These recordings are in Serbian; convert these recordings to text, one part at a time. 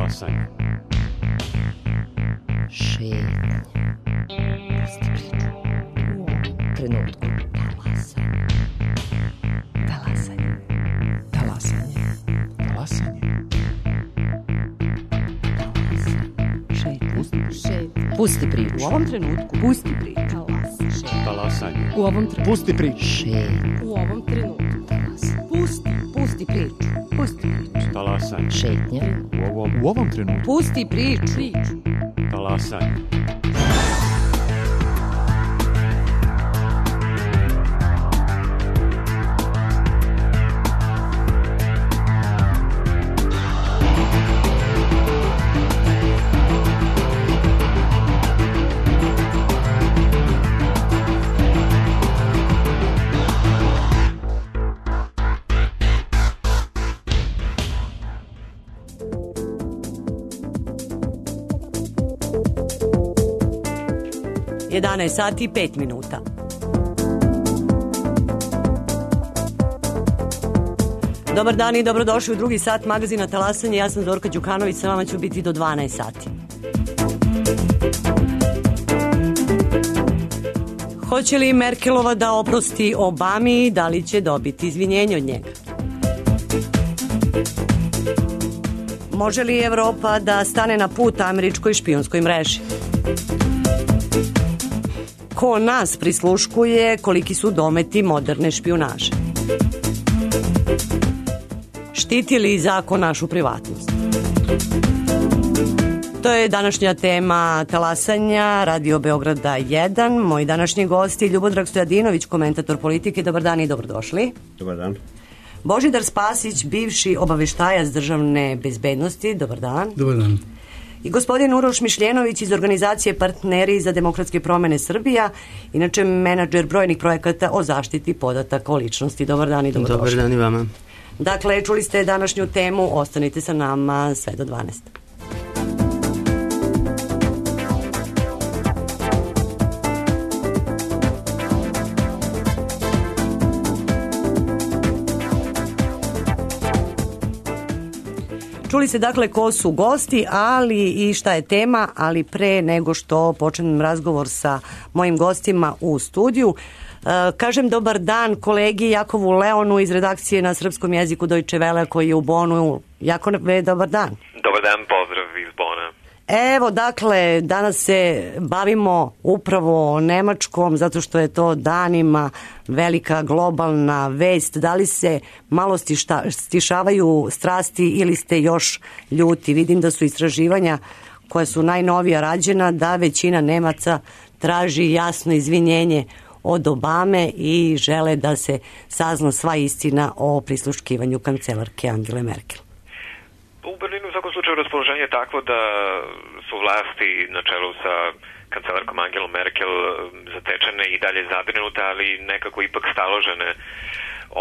Talasanje. Šetnja. Pusti priču. U trenutku. Talasanje. Talasanje. Talasanje. Šetnja. Pusti priču. U ovom trenutku. Pusti priču. Talasanje. U ovom trenutku. Pusti priču. Šetnja. U ovom trenutku. Pusti priču. Pusti priču. Talasanje. Šetnja. U ovom trenutku. Pusti priču. Talasanje. Sati i 5 minuta. Dobar dan i dobrodošli u drugi sat magazina Talasanje. Ja sam Zorka Đukanović, sa vama ću biti do 12 sati. Hoće li Merkelova da oprosti Obami i da li će dobiti izvinjenje od njega? Može li Evropa da stane na put američkoj špijunskoj mreži? Ko nas prisluškuje, koliki su dometi moderne špijunaže? Štiti li zakon našu privatnost? To je današnja tema Talasanja, Radio Beograda 1. Moji današnji gosti Ljubodrag Stojadinović, komentator politike. Dobar dan i dobrodošli. Dobar dan. Božidar Spasić, bivši obaveštajac državne bezbednosti. Dobar dan. Dobar dan. I gospodin Uroš Mišljenović iz organizacije Partneri za demokratske promene Srbija, inače menadžer brojnih projekata o zaštiti podataka o ličnosti. Dobar dan i dobrodošli. Dobar dan i vama. Dakle, čuli ste današnju temu, ostanite sa nama sve do 12. Čuli se dakle ko su gosti, ali i šta je tema, ali pre nego što počnem razgovor sa mojim gostima u studiju, kažem dobar dan kolegi Jakovu Leonu iz redakcije na srpskom jeziku Deutsche Welle koji je u Bonu. Jakove, dobar dan. Dobar dan, pozdrav iz Bona. Evo, dakle, danas se bavimo upravo o Nemačkom, zato što je to danima velika globalna vest. Da li se malo stišavaju strasti ili ste još ljuti? Vidim da su istraživanja koja su najnovija rađena, da većina Nemaca traži jasno izvinjenje od Obame i žele da se sazna sva istina o prisluškivanju kancelarke Angele Merkel. U Berlinu u svakom slučaju raspoloženje je takvo da su vlasti na čelu sa kancelarkom Angelom Merkel zatečene i dalje zabrinute, ali nekako ipak staložene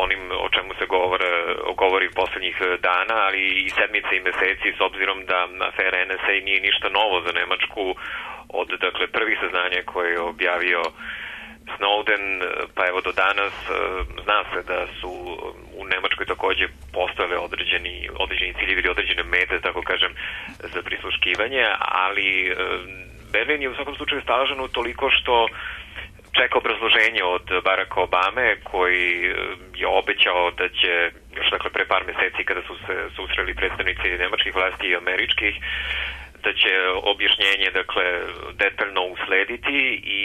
onim o čemu se govori poslednjih dana, ali i sedmice i meseci, s obzirom da afera NSA nije ništa novo za Nemačku od prvih saznanja koje je objavio Snowden, pa evo do danas zna se da su u Nemačkoj takođe postojale određeni ciljevi ili određene mete, tako kažem, za prisluškivanje, ali Berlin je u svakom slučaju staložen toliko što čeka obrazloženje od Baracka Obame, koji je obećao da će još pre par meseci kada su se susreli predstavnici nemačkih vlasti i američkih, da će objašnjenje detaljno uslediti i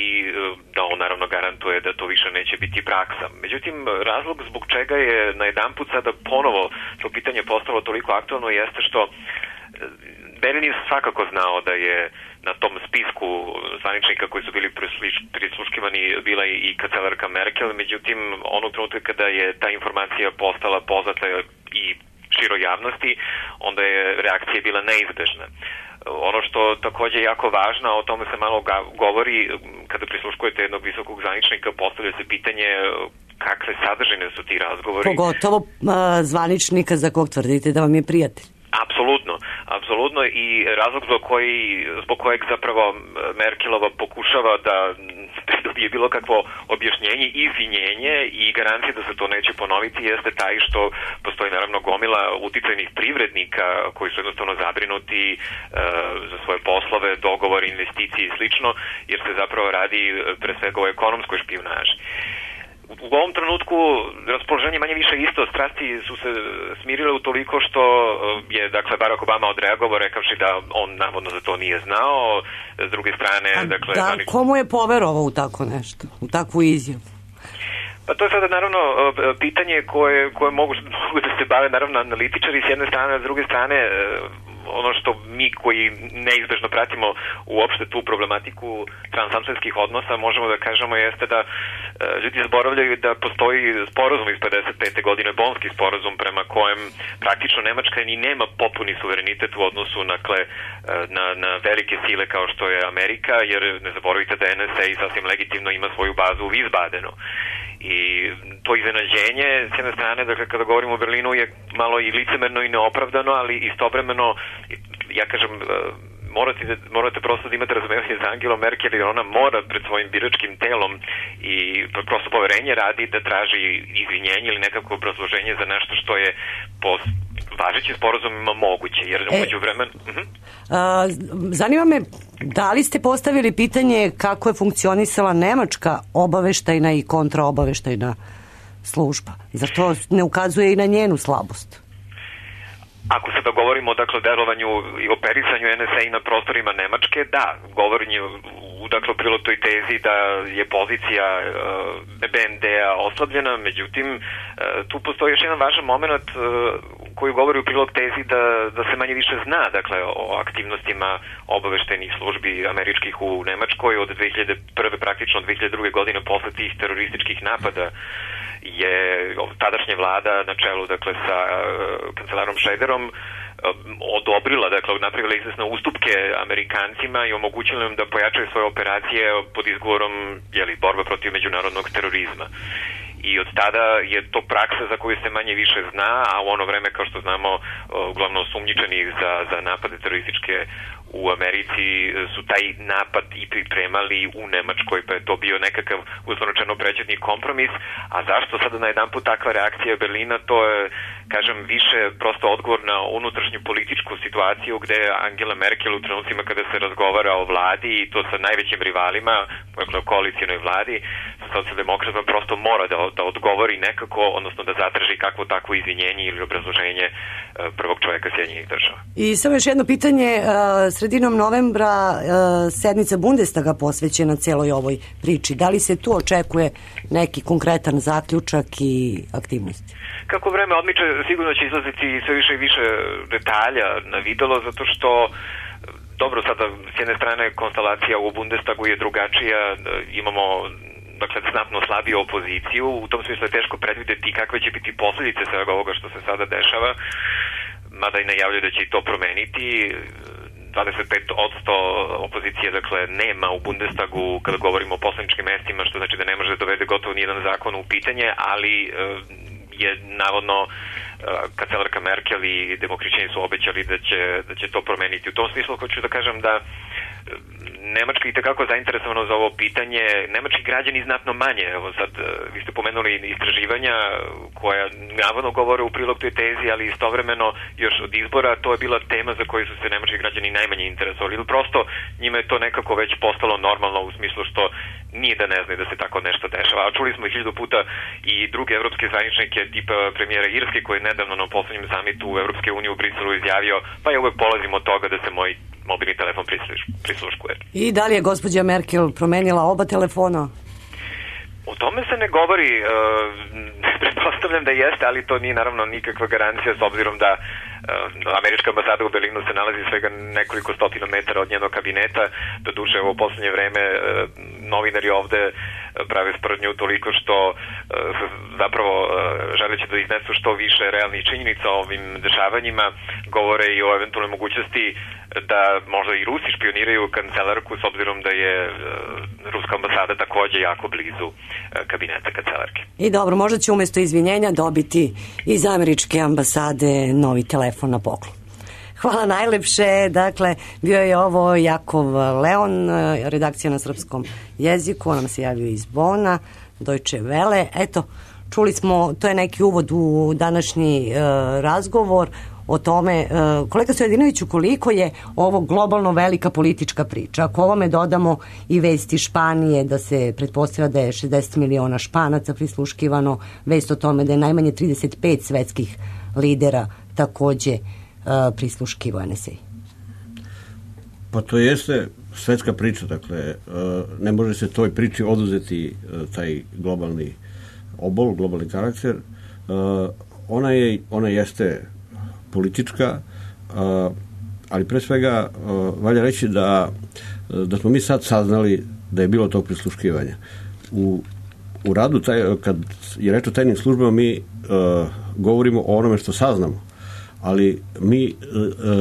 da on naravno garantuje da to više neće biti praksa. Međutim, razlog zbog čega je najedanput sada ponovo to pitanje postalo toliko aktualno jeste što Berlin je svakako znao da je na tom spisku zvaničnika koji su bili prisluškivani bila i kancelarka Merkel, međutim onog trenutka kada je ta informacija postala poznata i široj javnosti, onda je reakcija bila neizbežna. Ono što takođe je jako važno, a o tome se malo govori, kada prisluškujete jednog visokog zvaničnika, postavlja se pitanje kakve sadržine su ti razgovori. Pogotovo zvaničnika za kog tvrdite da vam je prijatelj. Apsolutno i razlog zbog kojeg zapravo Merkelova pokušava da pridobi dobije bilo kakvo objašnjenje, izvinjenje i garancija da se to neće ponoviti jeste taj što postoji naravno gomila uticajnih privrednika koji su jednostavno zabrinuti za svoje poslove, dogovore, investicije i slično, jer se zapravo radi pre svega o ekonomskoj špijunaži. U ovom trenutku raspoloženje manje više isto, strasti su se smirile utoliko što je, dakle, Barack Obama odreagovao rekavši da on navodno za to nije znao, s druge strane... Komu je poverovao u tako nešto, u takvu izjavu? Pa to je sada naravno pitanje koje mogu da se bave naravno analitičari s jedne strane, a s druge strane ono što mi koji neizbežno pratimo uopšte tu problematiku transatlantskih odnosa možemo da kažemo jeste da ljudi zaboravljaju da postoji sporazum iz 55. godine, Bonski sporazum prema kojem praktično Nemačka ni nema popuni suverenitet u odnosu na velike sile kao što je Amerika, jer ne zaboravite da NSA sasvim legitimno ima svoju bazu u Wiesbadenu. I to iznenađenje, s jedne strane, dakle, kada govorimo o Berlinu, je malo i licemerno i neopravdano, ali istovremeno, ja kažem, morate prosto da imate razumevanje za Angelu Merkel, jer ona mora pred svojim biračkim telom i prosto poverenje radi da traži izvinjenje ili nekako obrazloženje za nešto što je po važećim sporazumima moguće, jer umeđu vremenu... Zanima me, da li ste postavili pitanje kako je funkcionisala nemačka obaveštajna i kontraobaveštajna služba? Zar to ne ukazuje i na njenu slabost? Ako sada govorimo dakle, o delovanju i operisanju NSA i na prostorima Nemačke, da, govorim u prilog toj tezi da je pozicija BND-a oslabljena, međutim, tu postoji još jedan važan moment koji govori u prilog tezi da se manje više zna, dakle, o aktivnostima obaveštajnih službi američkih u Nemačkoj od 2001. praktično 2002. godine posle tih terorističkih napada je tadašnja vlada na čelu, dakle, sa kancelarom Schröderom odobrila, dakle, napravila izvesne ustupke Amerikancima i omogućila im da pojačaju svoje operacije pod izgovorom, borba protiv međunarodnog terorizma. I od tada je to praksa za koju se manje više zna, a u ono vreme, kao što znamo, uglavnom sumnjičani za napade terorističke u Americi su taj napad i pripremali u Nemačkoj, pa je to bio nekakav uslovno prećutni kompromis. A zašto sada na jedan put takva reakcija Berlina, to je, kažem, više prosto odgovor na unutrašnju političku situaciju gde Angela Merkel u trenucima kada se razgovara o vladi i to sa najvećim rivalima, dakle o koalicijnoj vladi, sa socijaldemokratima, prosto mora da odgovori nekako, odnosno da zatraži kakvo takvo izvinjenje ili obrazloženje prvog čoveka Sjedinjenih Država. I samo još jedno pitanje, sredinom novembra sednica Bundestaga posvećena celoj ovoj priči. Da li se tu očekuje neki konkretan zaključak i aktivnosti? Kako vreme odmiče, sigurno će izlaziti sve više i više detalja na videlo, zato što dobro, sada s jedne strane konstelacija u Bundestagu je drugačija, imamo znatno slabiju opoziciju, u tom smislu je teško predvideti kakve će biti posljedice svega ovoga što se sada dešava, mada i najavljaju da će i to promeniti. 25% opozicije, dakle, nema u Bundestagu kada govorimo o poslaničkim mestima, što znači da ne može da dovede gotovo nijedan zakon u pitanje, ali je navodno kancelarka Merkel i demohrišćani su obećali da će to promeniti. U tom smislu hoću da kažem da Nemačka je itekako zainteresovana za ovo pitanje. Nemački građani znatno manje. Evo sad, vi ste pomenuli istraživanja koja navodno govore u prilog toj tezi, ali istovremeno još od izbora to je bila tema za koju su se nemački građani najmanje interesovali. Prosto njima je to nekako već postalo normalno u smislu što nije da ne znaju da se tako nešto dešava. A čuli smo 1000 puta i druge evropske zvaničnike tipa premijera Irske koji je nedavno na poslednjem samitu Evropske unije u Briselu izjavio pa ja uvek polazim od toga da se moj mobilni telefon prisluškuje. I da li je gospođa Merkel promenila oba telefona? O tome se ne govori, pretpostavljam da jeste, ali to nije naravno nikakva garancija s obzirom da američka ambasada u Berlinu se nalazi svega nekoliko stotina metara od njenog kabineta. Doduše, u poslednje vreme novinari ovde prave sprdnju toliko što zapravo želeći da iznesu što više realnih činjenica o ovim dešavanjima, govore i o eventualnoj mogućnosti da možda i Rusi špioniraju kancelarku s obzirom da je ruska ambasada takođe jako blizu kabineta kancelarke. I dobro, možda će umesto izvinjenja dobiti iz američke ambasade novi telefon na poklon. Hvala najlepše. Dakle, bio je ovo Jakov Leon, redakcija na srpskom jeziku. On nam se javio iz Bona, Deutsche Welle. Eto, čuli smo, to je neki uvod u današnji razgovor o tome, kolega Stojadinoviću, koliko je ovo globalno velika politička priča. Ako ovome dodamo i vesti Španije, da se pretpostavlja da je 60 miliona Španaca prisluškivano, vest o tome da je najmanje 35 svetskih lidera takođe prisluškivo NSA. Pa to jeste svetska priča, dakle, ne može se toj priči oduzeti taj globalni obol, globalni karakter. Ona jeste politička, ali pre svega valja reći da smo mi sad saznali da je bilo tog prisluškivanja. U radu, kad je reč o tajnim službama, mi govorimo o onome što saznamo, ali mi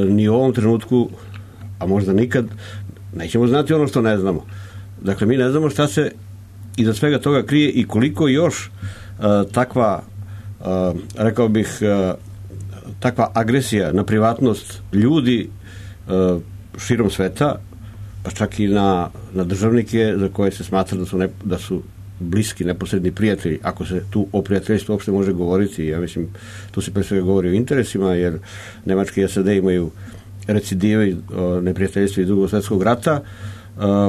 ni u ovom trenutku, a možda nikad, nećemo znati ono što ne znamo. Dakle, mi ne znamo šta se iza svega toga krije i koliko još takva, rekao bih, takva agresija na privatnost ljudi širom sveta, pa čak i na državnike za koje se smatra da su bliski, neposredni prijatelji, ako se tu o prijateljstvu uopšte može govoriti. Ja mislim, tu se pre svega govori o interesima, jer Nemačka i SAD imaju recidive neprijateljstva iz Drugog svjetskog rata.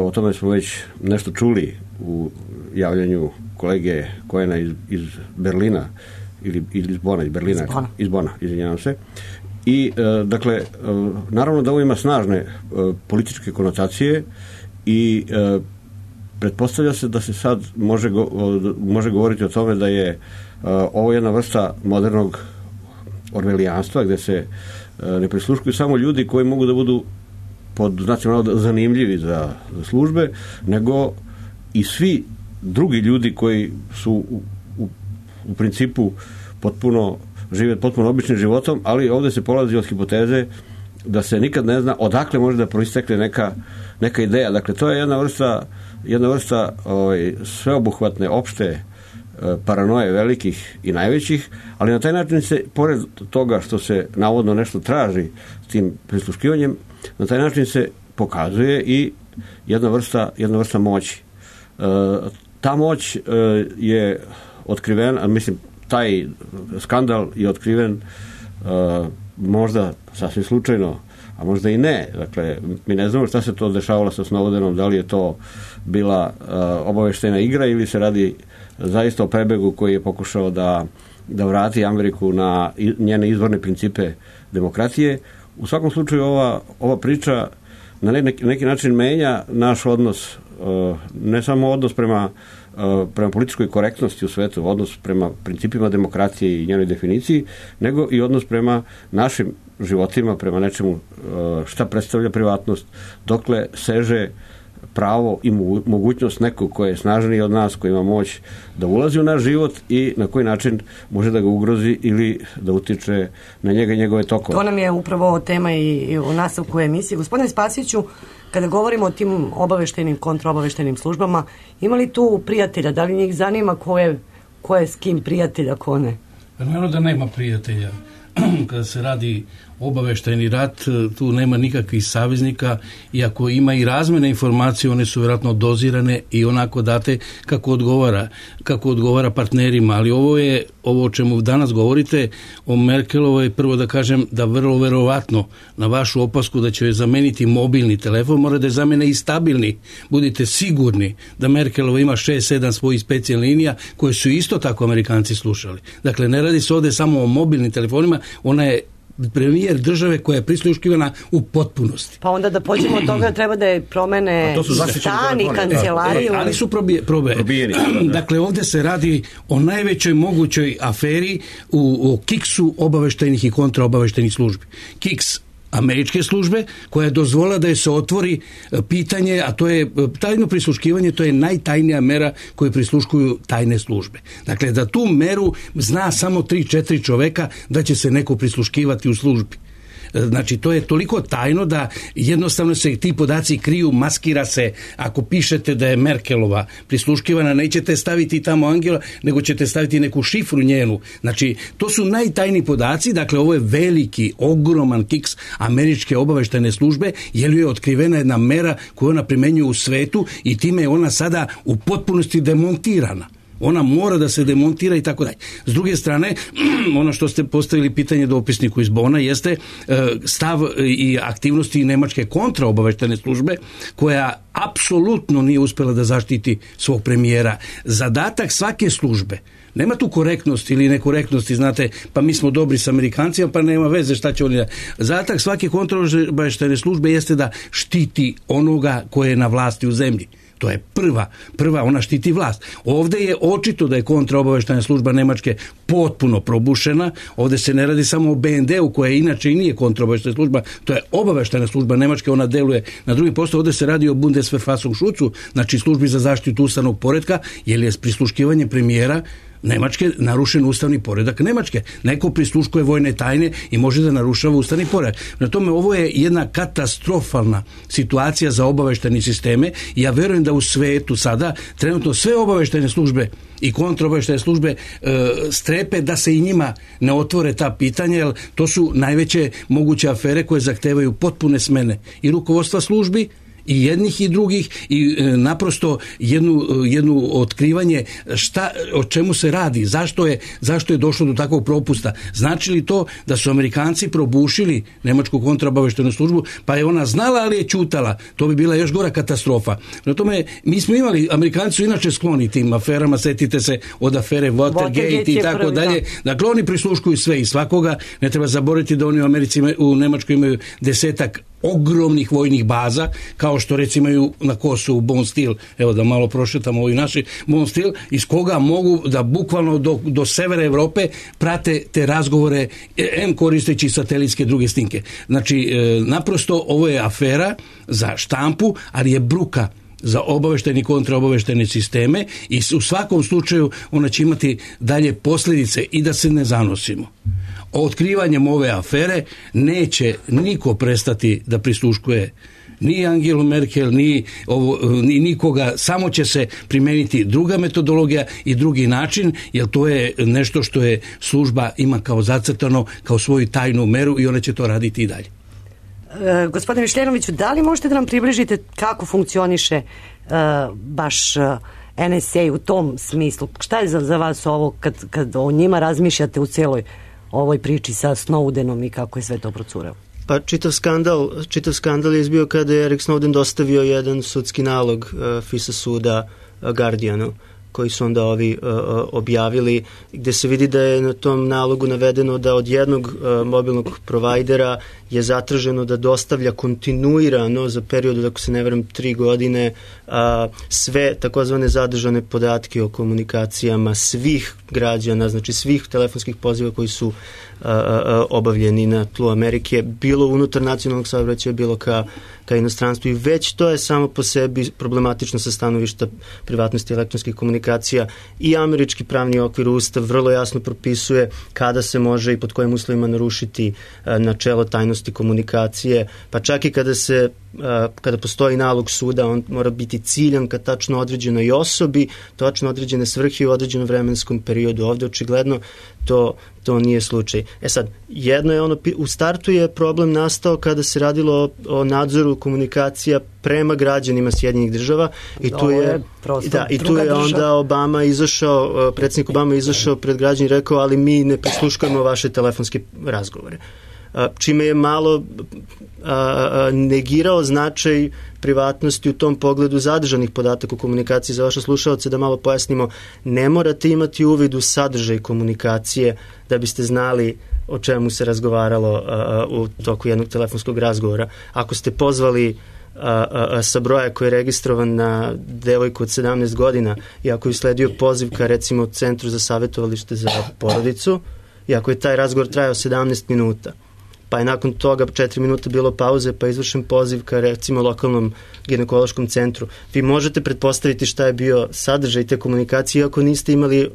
O tome smo već nešto čuli u javljanju kolege Kojena iz Berlina, ili iz Bona, iz Bona, izvinjavam se. I, dakle, naravno da ovo ima snažne političke konotacije i pretpostavlja se da se sad može govoriti o tome da je ovo jedna vrsta modernog orvelijanstva, gde se ne prisluškuju samo ljudi koji mogu da budu pod znacima zanimljivi za službe, nego i svi drugi ljudi koji su u principu žive potpuno običnim životom, ali ovde se polazi od hipoteze da se nikad ne zna odakle može da proistekne neka ideja. Dakle, to je jedna vrsta sveobuhvatne, opšte paranoje velikih i najvećih, ali na taj način se, pored toga što se navodno nešto traži s tim prisluškivanjem, na taj način se pokazuje i jedna vrsta moći. Ta moć je otkrivena, mislim, taj skandal je otkriven možda sasvim slučajno, a možda i ne. Dakle, mi ne znamo šta se to dešavalo sa Snowdenom, da li je to bila obaveštajna igra ili se radi zaista o prebegu koji je pokušao da vrati Ameriku na njene izvorne principe demokratije. U svakom slučaju ova priča na neki način menja naš odnos, ne samo odnos prema političkoj korektnosti u svetu, odnos prema principima demokratije i njenoj definiciji, nego i odnos prema našim životima, prema nečemu šta predstavlja privatnost, dokle seže pravo i mogućnost nekog koji je snažniji od nas, koji ima moć da ulazi u naš život i na koji način može da ga ugrozi ili da utiče na njega i njegove tokove. To nam je upravo tema i u nastavku emisije. Gospodine Spasiću, kada govorimo o tim obaveštenim, kontraobaveštenim službama, ima li tu prijatelja? Da li njih zanima ko je s kim prijatelja, ko ne? Naravno da nema prijatelja. Kada se radi obaveštajni rat, tu nema nikakvih saveznika, i ako ima i razmene informacije, one su vjerojatno dozirane i onako date kako odgovara partnerima, ali ovo o čemu danas govorite o Merkelovoj, prvo da kažem da vrlo verovatno na vašu opasku da će joj zameniti mobilni telefon, mora da je zamene i stabilni. Budite sigurni da Merkelova ima 6-7 svojih specijalnih linija koje su isto tako Amerikanci slušali. Dakle, ne radi se ovde samo o mobilnim telefonima, ona je premijer države koja je prisluškivana u potpunosti. Pa onda da pođemo od toga, treba da je promene stan i kancelariju. Ali su probijeni. Dakle, ovdje se radi o najvećoj mogućoj aferi o kiksu obaveštajnih i kontraobaveštajnih službi. Kiks američke službe, koja je dozvolila da je se otvori pitanje, a to je tajno prisluškivanje, to je najtajnija mera koju prisluškuju tajne službe. Dakle, da tu meru zna samo 3-4 čoveka da će se neko prisluškivati u službi. Znači, to je toliko tajno da jednostavno se ti podaci kriju, maskira se. Ako pišete da je Merkelova prisluškivana, nećete staviti tamo Angela, nego ćete staviti neku šifru njenu. Znači, to su najtajniji podaci, dakle, ovo je veliki, ogroman kiks američke obaveštajne službe, jer je otkrivena jedna mera koju ona primenjuje u svetu i time je ona sada u potpunosti demontirana. Ona mora da se demontira i tako dalje. S druge strane, ono što ste postavili pitanje dopisniku iz Bona jeste stav i aktivnosti nemačke kontraobaveštajne službe, koja apsolutno nije uspjela da zaštiti svog premijera. Zadatak svake službe, nema tu korektnosti ili nekorektnosti, znate, pa mi smo dobri s Amerikancima, pa nema veze šta će oni da... Zadatak svake kontraobaveštajne službe jeste da štiti onoga koje je na vlasti u zemlji. To je prva, ona štiti vlast. Ovdje je očito da je kontraobaveštajna služba Nemačke potpuno probušena. Ovdje se ne radi samo o BND-u, koja inače i nije kontraobaveštajna služba, to je obaveštajna služba Nemačke, ona deluje na drugim poslu. Ovdje se radi o Bundesverfassungsschutzu, znači službi za zaštitu ustavnog poretka, jer je prisluškivanje premijera Nemačke narušen ustavni poredak Nemačke. Neko prisluškuje vojne tajne i može da narušava ustavni poredak. Na tome, ovo je jedna katastrofalna situacija za obaveštajne sisteme i ja verujem da u svetu sada trenutno sve obaveštajne službe i kontraobaveštajne službe strepe da se i njima ne otvore ta pitanja, jer to su najveće moguće afere koje zahtevaju potpune smene i rukovodstva službi i jednih i drugih i naprosto jednu otkrivanje o čemu se radi, zašto je došlo do takvog propusta. Znači li to da su Amerikanci probušili nemačku kontraobaveštajnu službu, pa je ona znala, ali je ćutala? To bi bila još gora katastrofa. Na tome, mi smo imali, Amerikanci su inače skloni tim aferama, setite se od afere Watergate i tako dalje. Dakle, oni prisluškuju sve i svakoga. Ne treba zaboraviti da oni u Nemačkoj imaju 10 ogromnih vojnih baza, kao što recimo imaju na Kosovu Bonstil, evo da malo prošetamo ovi naši Bonstil, iz koga mogu da bukvalno do severa Evrope prate te razgovore, koristeći satelitske druge snimke. Znači, naprosto ovo je afera za štampu, ali je bruka za obaveštajne i kontraobaveštajne sisteme i u svakom slučaju ona će imati dalje posljedice. I da se ne zanosimo, otkrivanjem ove afere neće niko prestati da prisluškuje ni Angelu Merkel, ni nikoga, samo će se primeniti druga metodologija i drugi način, jer to je nešto što je služba ima kao zacrtano, kao svoju tajnu meru i ona će to raditi i dalje. Gospodine Mišljenoviću, da li možete da nam približite kako funkcioniše baš NSA u tom smislu? Šta je za vas ovo kad o njima razmišljate u cijeloj ovoj priči sa Snowdenom i kako je sve to procurelo? Pa čitav skandal je izbio kada je Erik Snowden dostavio jedan sudski nalog FISA suda Guardianu, koji su onda ovi objavili, gde se vidi da je na tom nalogu navedeno da od jednog mobilnog provajdera je zatraženo da dostavlja kontinuirano za period, ako se ne varam, 3 godine sve takozvane zadržane podatke o komunikacijama svih građana, znači svih telefonskih poziva koji su obavljeni na tlu Amerike, bilo unutar nacionalnog saobraćaja, bilo ka inostranstvu, i već to je samo po sebi problematično sa stanovišta privatnosti elektronskih komunikacija. I američki pravni okvir, Ustav vrlo jasno propisuje kada se može i pod kojim uslovima narušiti načelo tajnosti komunikacije, pa čak i kada postoji nalog suda, on mora biti ciljan ka tačno određenoj osobi, tačno određene svrhe u određenom vremenskom periodu. Ovdje očigledno to nije slučaj. Sad, jedno je u startu je problem nastao kada se radilo o nadzoru komunikacija prema građanima Sjedinjenih Država i tu je onda predsjednik Obama izašao pred građane i rekao, ali mi ne prisluškujemo vaše telefonske razgovore. Čime je malo negirao značaj privatnosti u tom pogledu zadržanih podataka u komunikaciji. Za vaše slušalce da malo pojasnimo, ne morate imati uvid u sadržaj komunikacije da biste znali o čemu se razgovaralo u toku jednog telefonskog razgovora. Ako ste pozvali sa broja koji je registrovan na devojku od 17 godina i ako je sledio poziv ka recimo Centru za savjetovalište za porodicu i ako je taj razgovor trajao 17 minuta, pa je nakon toga 4 minuta bilo pauze, pa je izvršen poziv ka recimo lokalnom ginekološkom centru, vi možete pretpostaviti šta je bio sadržaj te komunikacije, iako niste imali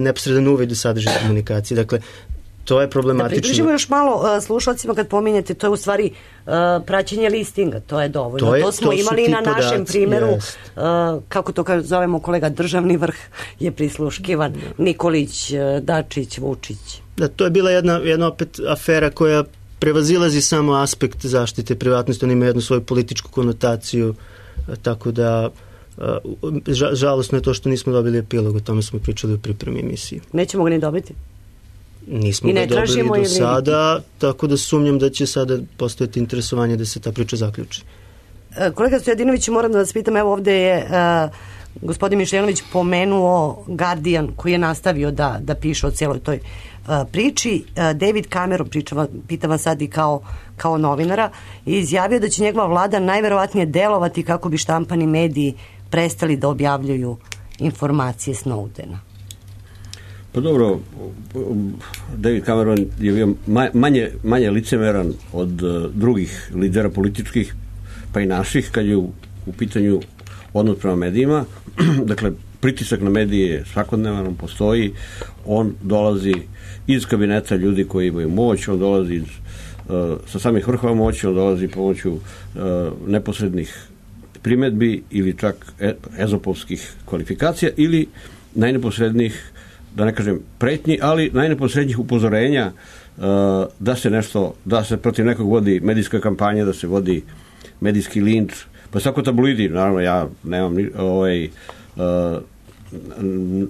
neposredan uvid u sadržaj komunikacije. Dakle, To je problematično. Da približimo još malo slušalcima kad pominjete, to je u stvari praćenje listinga, to je dovoljno. To smo imali na našem primjeru, kako to zovemo kolega, državni vrh je prisluškivan, Nikolić, Dačić, Vučić. Da, to je bila jedna opet afera koja prevazilazi samo aspekt zaštite privatnosti, on ima jednu svoju političku konotaciju, tako da žalosno je to što nismo dobili epilog, o tome smo pričali u pripremi emisiji. Nećemo ga ni dobiti? Nismo ga dobili do sada, tako da sumnjam da će sada postojati interesovanje da se ta priča zaključi. Kolega Stojadinović, moram da vas pitam, evo ovde je gospodin Mišljanović pomenuo Guardian koji je nastavio da piše o cijeloj toj priči. David Cameron, pitam vas sad i kao novinara, je izjavio da će njegova vlada najverovatnije delovati kako bi štampani mediji prestali da objavljuju informacije Snowdena. Pa dobro, David Cameron je bio manje licemeran od drugih lidera političkih, pa i naših, kad je u pitanju odnos prema medijima. Dakle, pritisak na medije svakodnevan, on postoji, on dolazi iz kabineta ljudi koji imaju moć, on dolazi sa samih vrhova moći, on dolazi pomoću neposrednih primedbi ili čak ezopovskih kvalifikacija ili najneposrednijih, da ne kažem pretnji, ali najneposrednijih upozorenja da se protiv nekog vodi medijska kampanja, da se vodi medijski linč, pa svako tabloidi, naravno ja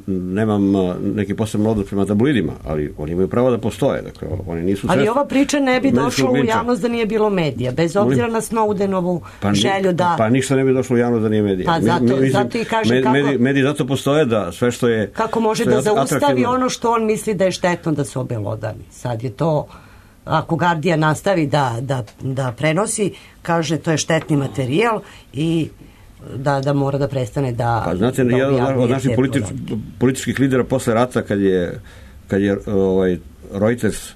nemam neki posebno odnos prema tabloidima, ali oni imaju pravo da postoje. Dakle, oni nisu ali ova priča ne bi došla u javnost da nije bilo medija, bez obzira na Snowdenovu želju da... Pa ništa ne bi došlo u javnost da nije medija. Pa zato i kažem mediji zato postoje da sve što je... Kako može da zaustavi ono što on misli da je štetno da se obelodani. Sad je to... Ako Guardian nastavi da prenosi, kaže to je štetni materijal i da mora da prestane da... Pa znate, jedan od naših političkih lidera posle rata, kad je Reuters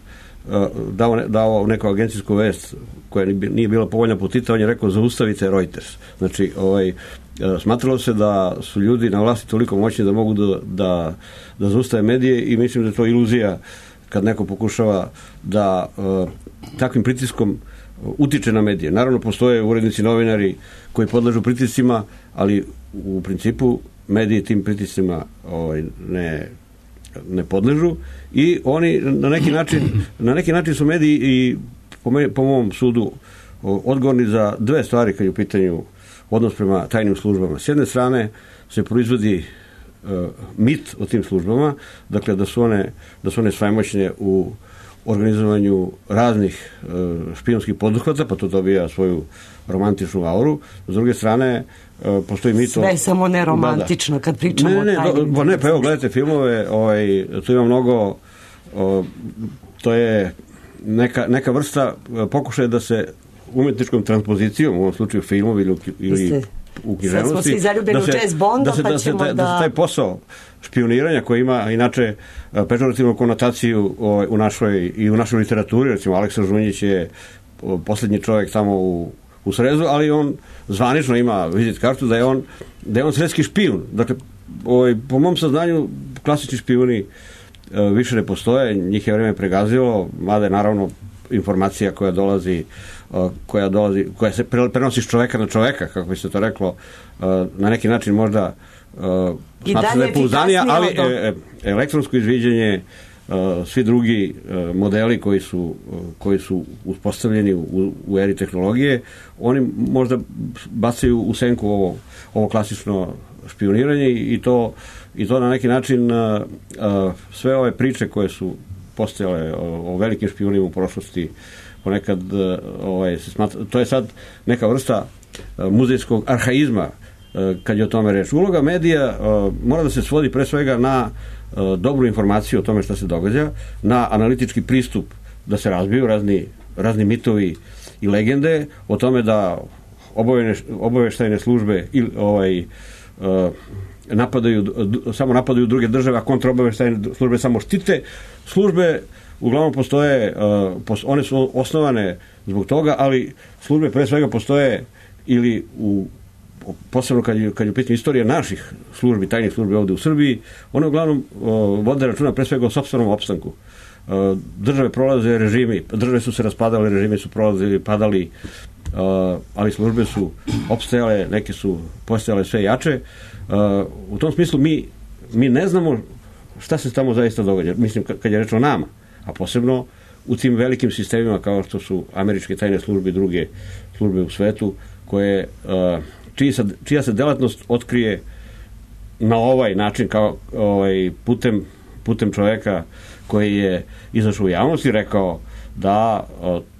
dao neku agencijsku vest koja nije bila povoljna po Tita, on je rekao zaustavite Reuters. Znači, smatralo se da su ljudi na vlasti toliko moćni da mogu da zaustave medije i mislim da je to iluzija kad neko pokušava da takvim pritiskom utiče na medije. Naravno, postoje urednici, novinari koji podležu pritiscima, ali u principu mediji tim pritiscima ne podležu i oni na neki način su mediji i po mom sudu odgovorni za dve stvari kad je u pitanju odnos prema tajnim službama. S jedne strane se proizvodi mit o tim službama, dakle da su one svemoćne u organizovanju raznih špijunskih poduhvata, pa to dobija svoju romantičnu auru. S druge strane, postoji mit... Sve samo ne romantično kad pričamo o tajnim. Ne, pa evo, gledajte filmove, tu ima mnogo, to je neka vrsta pokušaja da se umetničkom transpozicijom, u ovom slučaju filmovi ili u književnosti, sad smo svi zaljubljeni u James Bonda, pa ćemo da se taj posao špioniranja koji ima inače pežorativnu konotaciju u našoj literaturi, recimo Aleksa Žunjić je posljednji čovjek tamo u Srezu, ali on zvanično ima vizit kartu da je on sredski špijun. Dakle, po mom saznanju klasični špijuni više ne postoje, njih je vreme pregazilo, mada je naravno informacija koja se prenosi s čoveka na čoveka, kako bi se to reklo, na neki način možda smatra da je pouzdanija, ali elektronsko izviđanje, svi drugi modeli koji su uspostavljeni u eri tehnologije, oni možda bacaju u senku ovo klasično špioniranje i to na neki način sve ove priče koje su postojale o velikim špijunima u prošlosti ponekad se smatra, to je sad neka vrsta muzejskog arhaizma kad je o tome reč. Uloga medija mora da se svodi pre svega na dobru informaciju o tome šta se događa, na analitički pristup da se razbiju razni mitovi i legende o tome da obaveštajne službe samo napadaju druge države, a kontraobaveštajne službe samo štite. Službe uglavnom postoje, one su osnovane zbog toga, ali službe pre svega postoje ili posebno kad je u pitanju istorija naših službi, tajnih službi ovde u Srbiji, one uglavnom vode računa pre svega o sopstvenom opstanku. države prolaze režimi, države su se raspadale, režimi su prolazili, padali, ali službe su opstajale, neke su postajale sve jače. U tom smislu mi ne znamo šta se tamo zaista događa. Mislim, kad je reč o nama, a posebno u tim velikim sistemima kao što su američke tajne službe i druge službe u svetu, koje, čija se delatnost otkrije na ovaj način, kao putem čoveka koji je izašao u javnost i rekao da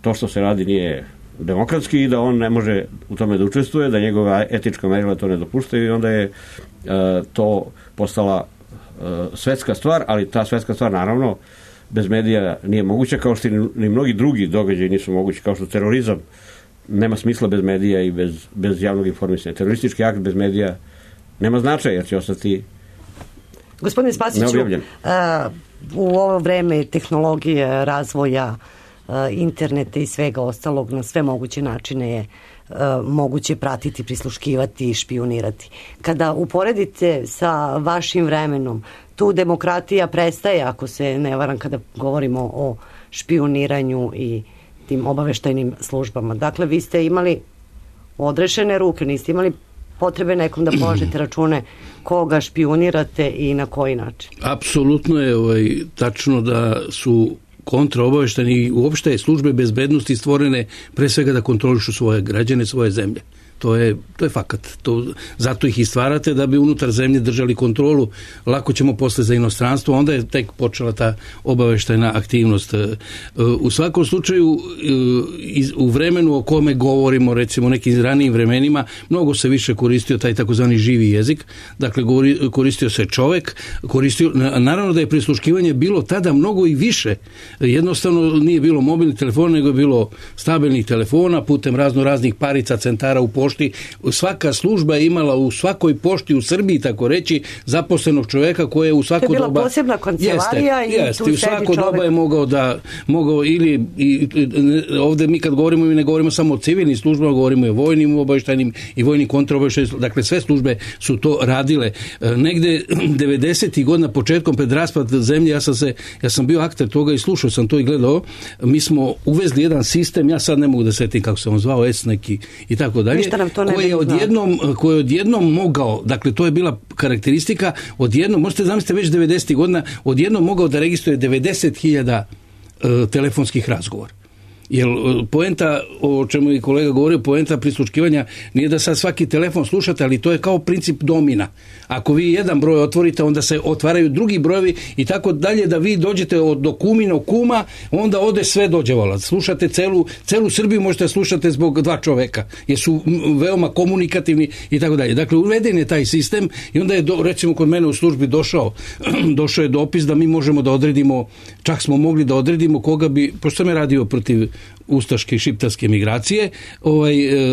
to što se radi nije demokratski i da on ne može u tome da učestvuje, da njegova etička merila to ne dopuštaju, i onda je to postala svetska stvar, ali ta svetska stvar naravno bez medija nije moguća, kao što ni mnogi drugi događaji nisu mogući, kao što terorizam nema smisla bez medija i bez javnog informisanja. Teroristički akt bez medija nema značaja, jer će ostati Gospodine Spasiću, u ovo vreme tehnologije, razvoja interneta i svega ostalog, na sve moguće načine je moguće pratiti, prisluškivati i špionirati. Kada uporedite sa vašim vremenom, tu demokratija prestaje, ako se ne varam, kada govorimo o špioniranju i tim obaveštajnim službama. Dakle, vi ste imali odrešene ruke, niste imali potrebe nekom da polažete račune koga špionirate i na koji način. Apsolutno je tačno da su kontraobaveštajni i uopšte službe bezbednosti stvorene pre svega da kontrolišu svoje građane, svoje zemlje. To je fakat. Zato ih i stvarate da bi unutar zemlje držali kontrolu. Lako ćemo posle za inostranstvo, onda je tek počela ta obaveštajna aktivnost. U svakom slučaju, u vremenu o kome govorimo, recimo nekim ranijim vremenima, mnogo se više koristio taj takozvani živi jezik. Dakle, koristio se čovek, naravno da je prisluškivanje bilo tada mnogo i više. Jednostavno nije bilo mobilnih telefona, nego je bilo stabilnih telefona putem raznih parica, centara u pošti. Svaka služba je imala u svakoj pošti u Srbiji, tako reći, zaposlenog čoveka koje je u svako doba... To je bila posebna kancelarija i tu u svako doba je mogao ili ovde mi kad govorimo, mi ne govorimo samo o civilnim službama, govorimo i o vojnim obaveštajnim i vojnim kontraobaveštajnim, dakle sve službe su to radile. Negde 90. godina, početkom pred raspad zemlje, ja sam bio akter toga i slušao sam to i gledao, mi uvezli jedan sistem, ja sad ne mogu da setim kako se on zvao, neki i tako dalje, koji je odjednom mogao, dakle to je bila karakteristika, odjednom, možete zamisliti već 90. godina, odjednom mogao da registruje 90.000 telefonskih razgovora. Jer poenta, o čemu je kolega govorio, poenta prisluškivanja nije da sad svaki telefon slušate, ali to je kao princip domina. Ako vi jedan broj otvorite, onda se otvaraju drugi brojevi i tako dalje, da vi dođete do kuminog kuma, onda ode sve dođe vola. Slušate celu Srbiju, možete slušati zbog dva čoveka, jer su veoma komunikativni i tako dalje. Dakle, uveden je taj sistem i onda je, recimo, kod mene u službi došao je dopis da mi možemo da odredimo, čak smo mogli da odredimo koga bi, pošto sam je radio protiv ustaške i šiptarske migracije,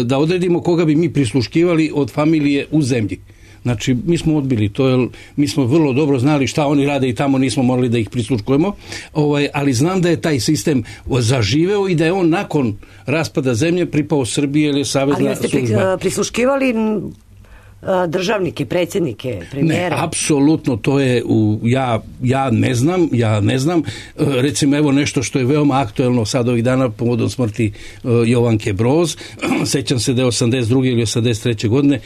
da odredimo koga bi mi prisluškivali od familije u zemlji. Znači, mi smo odbili to, jer mi smo vrlo dobro znali šta oni rade i tamo nismo morali da ih prisluškujemo, ali znam da je taj sistem zaživeo i da je on nakon raspada zemlje pripao Srbije ili savezna služba. Ali jeste prisluškivali državnike, predsjednike, premijera? Ne, apsolutno, to je ja ne znam. Recimo, evo nešto što je veoma aktuelno sad ovih dana povodom smrti Jovanke Broz. Sećam se da je 82. ili 83. godine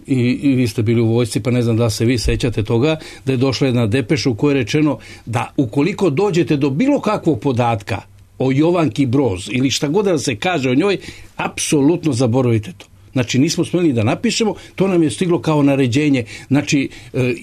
i vi ste bili u vojsci, pa ne znam da se vi sećate toga, da je došla jedna depeša u kojoj je rečeno da ukoliko dođete do bilo kakvog podatka o Jovanki Broz ili šta god da se kaže o njoj, apsolutno zaboravite to. Znači, nismo smeli da napišemo, to nam je stiglo kao naređenje. Znači,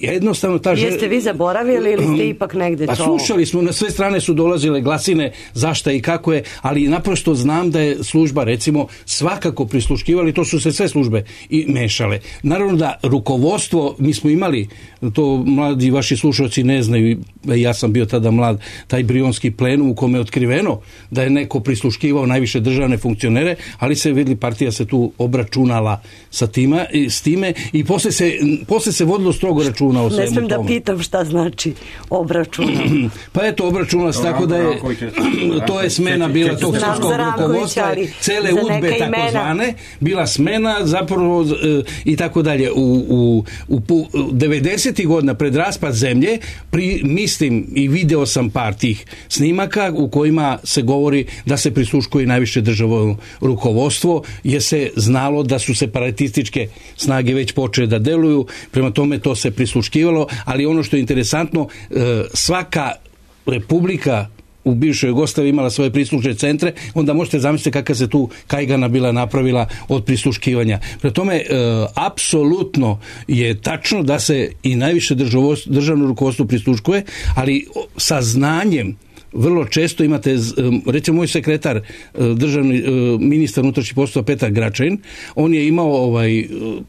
jednostavno ta Jeste vi zaboravili ili ste ipak negde to? Pa slušali smo, na sve strane su dolazile glasine zašta i kako je, ali naprosto znam da je služba, recimo, svakako prisluškivali, to su se sve službe i mešale. Naravno da rukovodstvo, mi smo imali, to mladi vaši slušalci ne znaju, ja sam bio tada mlad, taj brionski plenum u kome je otkriveno da je neko prisluškivao najviše državne funkcionere, ali se vidli, partija se tu obračunala sa time i posle se vodilo strogo računa o svemu tome. Ne smijem da pitam šta znači obračunala. Pa eto, obračunala se tako da je to je smena bila tog srpskog rukovodstva, cele udbe takozvane, bila smena zapravo i tako dalje. U 90. godina pred raspad zemlje mi mislim i video sam par tih snimaka u kojima se govori da se prisluškuje najviše državno rukovodstvo, jer se znalo da su separatističke snage već počele da deluju, prema tome to se prisluškivalo, ali ono što je interesantno, svaka republika u bivšoj Jugoslaviji imala svoje prislušne centre, onda možete zamisliti kakva se tu kajgana bila napravila od prisluškivanja. Prema tome, apsolutno je tačno da se i najviše državno rukovodstvo prisluškuje, ali sa znanjem. Vrlo često imate, recimo moj sekretar, državni ministar unutrašnjih poslova Petar Gračanin, on je imao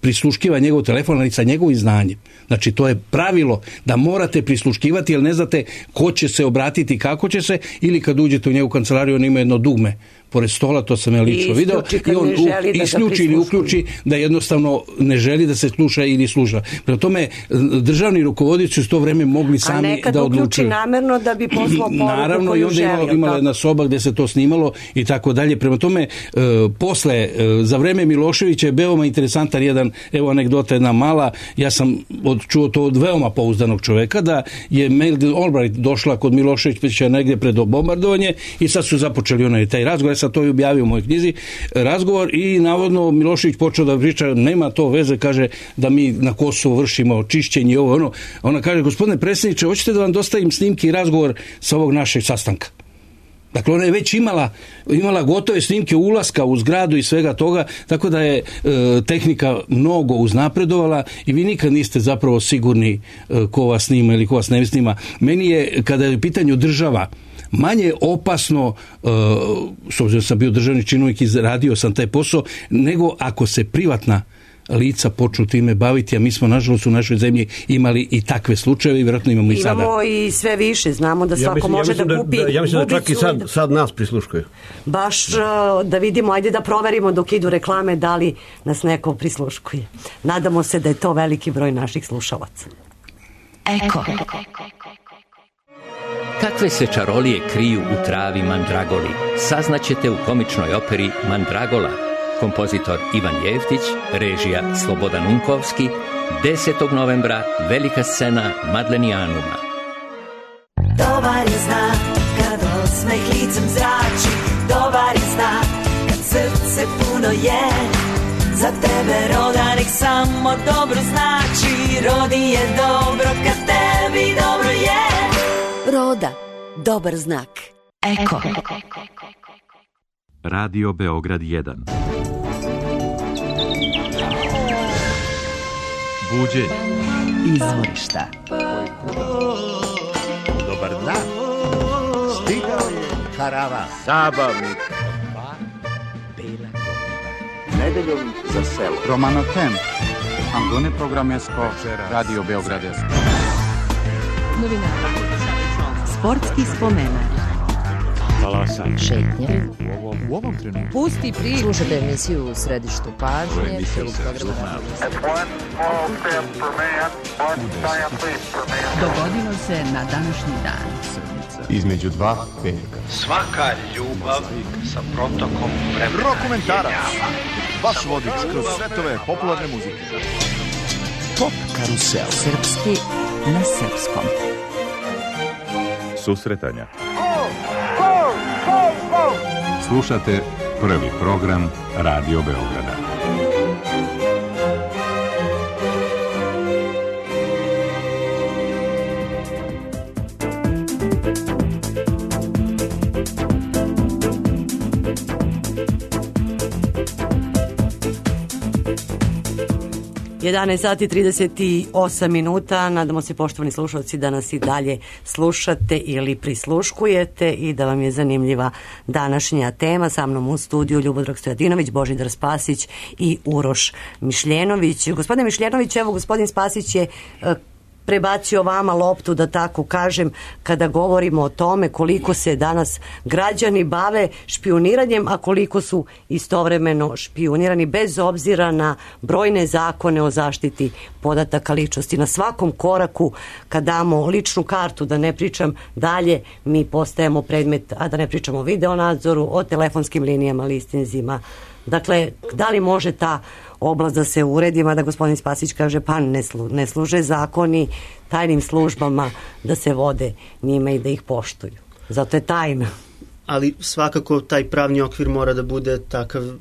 prisluškiva njegov telefon, ali sa njegovim znanjem. Znači, to je pravilo da morate prisluškivati, jer ne znate ko će se obratiti, kako će se, ili kad uđete u njegovu kancelariju, on ima jedno dugme pored stola, to sam ja lično video, i on isključi ili uključi da jednostavno ne želi da se sluša ili sluša. Prema tome, državni rukovodioci su to vreme mogli sami da odlučuju. A nekad uključi namerno da bi poslao poruku koju želi. Naravno, i onda imala jedna soba gde se to snimalo i tako dalje. Prema tome, posle, za vreme Miloševića je veoma interesantan jedan, evo anegdota jedna mala, ja sam čuo to od veoma pouzdanog čoveka, da je Madeleine Albright došla kod Miloševića negde pred bombardovanje i sad su započeli taj razgovor. To je objavio u mojoj knjizi, razgovor, i navodno Milošević počeo da priča, nema to veze, kaže, da mi na Kosovu vršimo čišćenje i ovo, ono. Ona kaže, gospodine predsjedniče, hoćete da vam dostavim snimke i razgovor sa ovog našeg sastanka? Dakle, ona je već imala gotove snimke ulaska u zgradu i svega toga, tako da je tehnika mnogo uznapredovala i vi nikad niste zapravo sigurni ko vas snima ili ko vas ne snima. Meni je, kada je u pitanju država, manje opasno, s obzirom sam bio državni činovnik i radio sam taj posao, nego ako se privatna lica počnu time baviti, a mi smo nažalost u našoj zemlji imali i takve slučajeve i vjerojatno imamo i sada. Imamo i sve više, znamo da svako može da kupi. Ja mislim da čak i sad nas prisluškuju. Baš da vidimo, ajde da proverimo dok idu reklame da li nas neko prisluškuje. Nadamo se da je to veliki broj naših slušalaca. Eko. Kakve se čarolije kriju u travi mandragoli, saznaćete u komičnoj operi Mandragola. Kompozitor Ivan Jeftić, režija Slobodan Unkovski, 10. novembra, velika scena Madlenijanuma. Dobar je znak kad osmeh licem zrači, dobar je znak kad srce puno je. Za tebe roda nek samo dobro znači, rodi je dobro kad tebi dobro je. Roda, dobar znak. Eko. Radio Beograd 1. Buđenje. Izvorišta. Dobar dan. Stigao je karavan. Zabavnik. Bela godina. Nedeljom za selo. Romanotem. Antone Programesko. Radio Beograd 1. Novinara. Sportski spomenak. Talasanje. Šetnje. U ovom trenutku. Pusti priču. Slušajte emisiju u središtu pažnje. Dogodilo se na današnji dan. Između dva veka. Svaka ljubav sa protokom vremena. Rokomentarac. Vaš vodič kroz svetove popularne muzike. Pop karusel. Srpski na srpskom. Susretanja. Slušate prvi program Radio Beograda. Sati 38 minuta. Nadamo se, poštovani slušalci, da nas i dalje slušate ili prisluškujete i da vam je zanimljiva današnja tema. Sa mnom u studiju Ljubodrag Stojadinović, Božidar Spasić i Uroš Mišljenović. Gospodine Mišljenović, evo, gospodin Spasić je prebacio vama loptu, da tako kažem, kada govorimo o tome koliko se danas građani bave špijuniranjem, a koliko su istovremeno špijunirani bez obzira na brojne zakone o zaštiti podataka ličnosti. Na svakom koraku kad damo ličnu kartu, da ne pričam dalje, mi postajemo predmet, a da ne pričamo o videonadzoru, o telefonskim linijama, listinzima. Dakle, da li može ta oblast da se uredi, mada gospodin Spasić kaže pa ne služe zakoni tajnim službama da se vode njima i da ih poštuju. Zato je tajna. Ali svakako taj pravni okvir mora da bude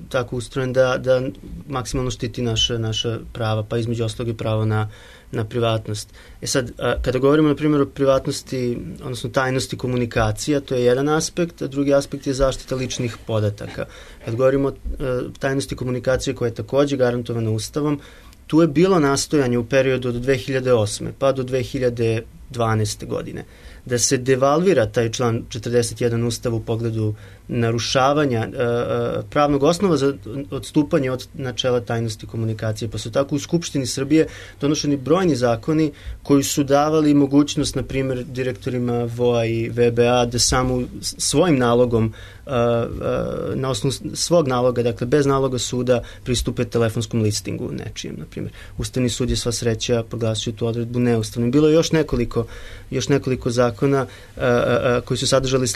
tako ustrojen da maksimalno štiti naša prava, pa između ostalog i pravo na privatnost. Sad, kada govorimo na primjer o privatnosti, odnosno tajnosti komunikacija, to je jedan aspekt, a drugi aspekt je zaštita ličnih podataka. Kad govorimo o tajnosti komunikacije koja je takođe garantovana Ustavom, tu je bilo nastojanje u periodu od 2008. pa do 2012. godine da se devalvira taj član 41 Ustava u pogledu narušavanja pravnog osnova za odstupanje od načela tajnosti komunikacije. Pa su tako u Skupštini Srbije donošeni brojni zakoni koji su davali mogućnost, na primjer, direktorima VOA i VBA da samo svojim nalogom, na osnovu svog naloga, dakle bez naloga suda, pristupe telefonskom listingu nečijem, na primjer. Ustavni sud je sva sreća proglasio tu odredbu neustavnom. Bilo je još nekoliko zakona koji su sadržali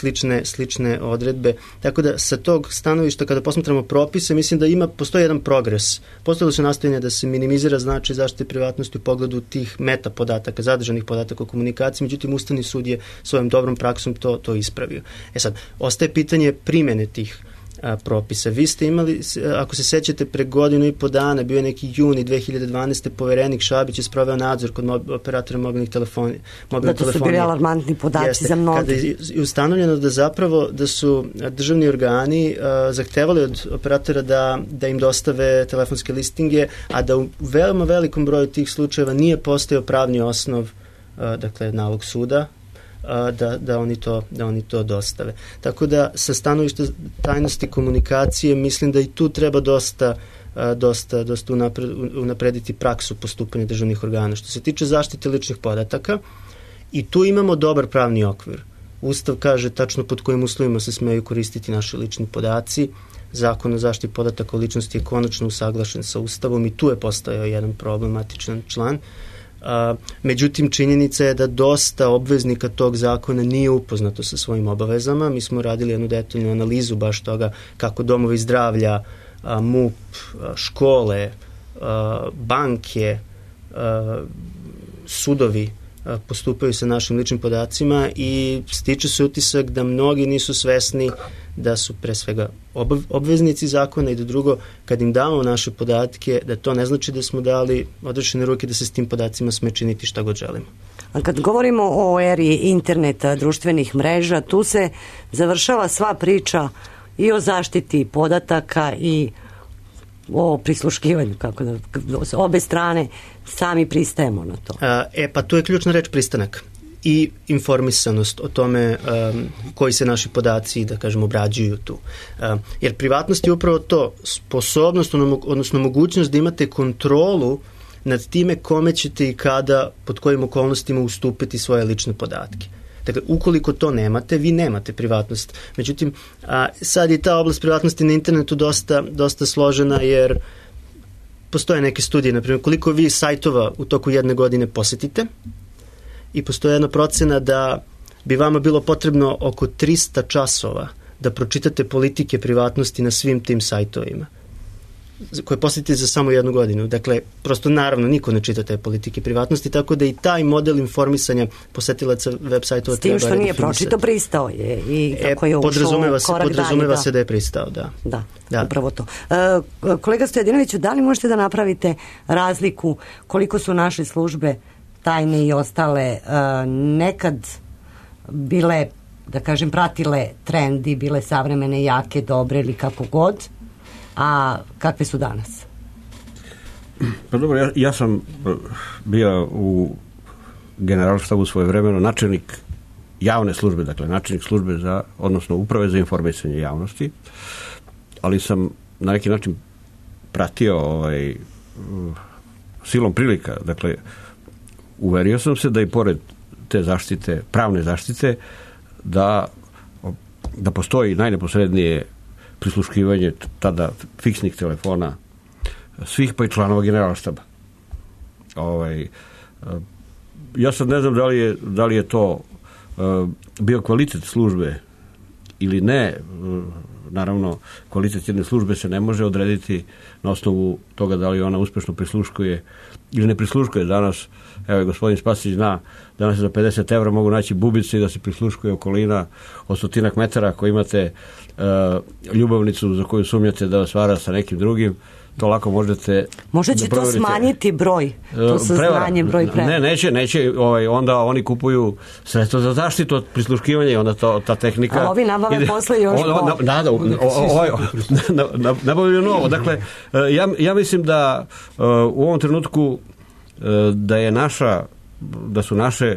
slične odredbe. Tako da sa tog stanovišta kada posmatramo propise, mislim da postoji jedan progres. Postojalo se nastojanje da se minimizira značaj zaštite privatnosti u pogledu tih meta podataka, zadržanih podataka o komunikaciji, međutim Ustavni sud je svojom dobrom praksom to ispravio. Sad, ostaje pitanje primene tih propisa. Vi ste imali, ako se sećate, pre 1.5 godina bio je neki juni 2012. Poverenik Šabić je sproveo nadzor kod operatora mobilnih telefonija. Da, to su bili alarmantni podaci za mnogi. Kada je ustanovljeno da su državni organi zahtevali od operatora da im dostave telefonske listinge, a da u veoma velikom broju tih slučajeva nije postojao pravni osnov, dakle nalog suda, da oni to dostave. Tako da sa stanovišta tajnosti komunikacije mislim da i tu treba dosta unaprediti praksu postupanja državnih organa. Što se tiče zaštite ličnih podataka, i tu imamo dobar pravni okvir. Ustav kaže tačno pod kojim uslovima se smeju koristiti naši lični podaci. Zakon o zaštiti podataka o ličnosti je konačno usaglašen sa Ustavom i tu je postojao jedan problematičan član. Međutim, činjenica je da dosta obveznika tog zakona nije upoznato sa svojim obavezama. Mi smo radili jednu detaljnu analizu baš toga kako domovi zdravlja, MUP, škole, banke, sudovi postupaju sa našim ličnim podacima i stiče se utisak da mnogi nisu svesni da su pre svega obveznici zakona i da drugo, kad im damo naše podatke, da to ne znači da smo dali odrešene ruke da se s tim podacima sme činiti šta god želimo. A kad govorimo o eri interneta, društvenih mreža, tu se završava sva priča i o zaštiti podataka i o prisluškivanju, kako da obe strane sami pristajemo na to. Pa tu je ključna reč pristanak i informisanost o tome koji se naši podaci, da kažemo, obrađuju tu. Jer privatnost je upravo to, sposobnost, odnosno mogućnost da imate kontrolu nad time kome ćete i kada, pod kojim okolnostima ustupiti svoje lične podatke. Dakle, ukoliko to nemate, vi nemate privatnost. Međutim, sad je ta oblast privatnosti na internetu dosta složena, jer postoje neke studije, na primjer, koliko vi sajtova u toku 1 godine posetite, i postoje jedna procena da bi vama bilo potrebno oko 300 časova da pročitate politike privatnosti na svim tim sajtovima koje posetite za samo 1 godinu. Dakle, prosto naravno niko ne čita te politike privatnosti, tako da i taj model informisanja posetilaca web sajtova treba redefinisati. S tim što nije pročito, pristao je i kako je ušao korak dalje. Podrazumeva se da je pristao, da. Da, upravo to. Kolega Stojadinoviću, da li možete da napravite razliku koliko su naše službe tajne i ostale nekad bile, da kažem, pratile trendi, bile savremene, jake, dobre ili kako god, a kakve su danas? Pa dobro, ja sam bio u generalštabu svojevremeno načelnik javne službe, dakle načelnik službe odnosno uprave za informisanje javnosti, ali sam na neki način pratio silom prilika, dakle uverio sam se da i pored te zaštite, pravne zaštite, da postoji najneposrednije prisluškivanje tada fiksnih telefona svih, pa i članova generalštaba. Ja sad ne znam da li je to bio kvalitet službe ili ne. naravno kvalitet jedne službe se ne može odrediti na osnovu toga da li ona uspešno prisluškuje ili ne prisluškuje. Danas, evo gospodin Spasić zna, danas za 50 evra mogu naći bubice i da se prisluškuje okolina od 100 metara. Ako imate ljubavnicu za koju sumnjate da vas vara sa nekim drugim, to lako možete... Možda će to smanjiti broj, to saznanje, broj prevara. Neće, onda oni kupuju sredstvo za zaštitu od prisluškivanja i onda ta tehnika... A ovi nabave posle još nabavljaju novo. Dakle, ja mislim da u ovom trenutku da su naše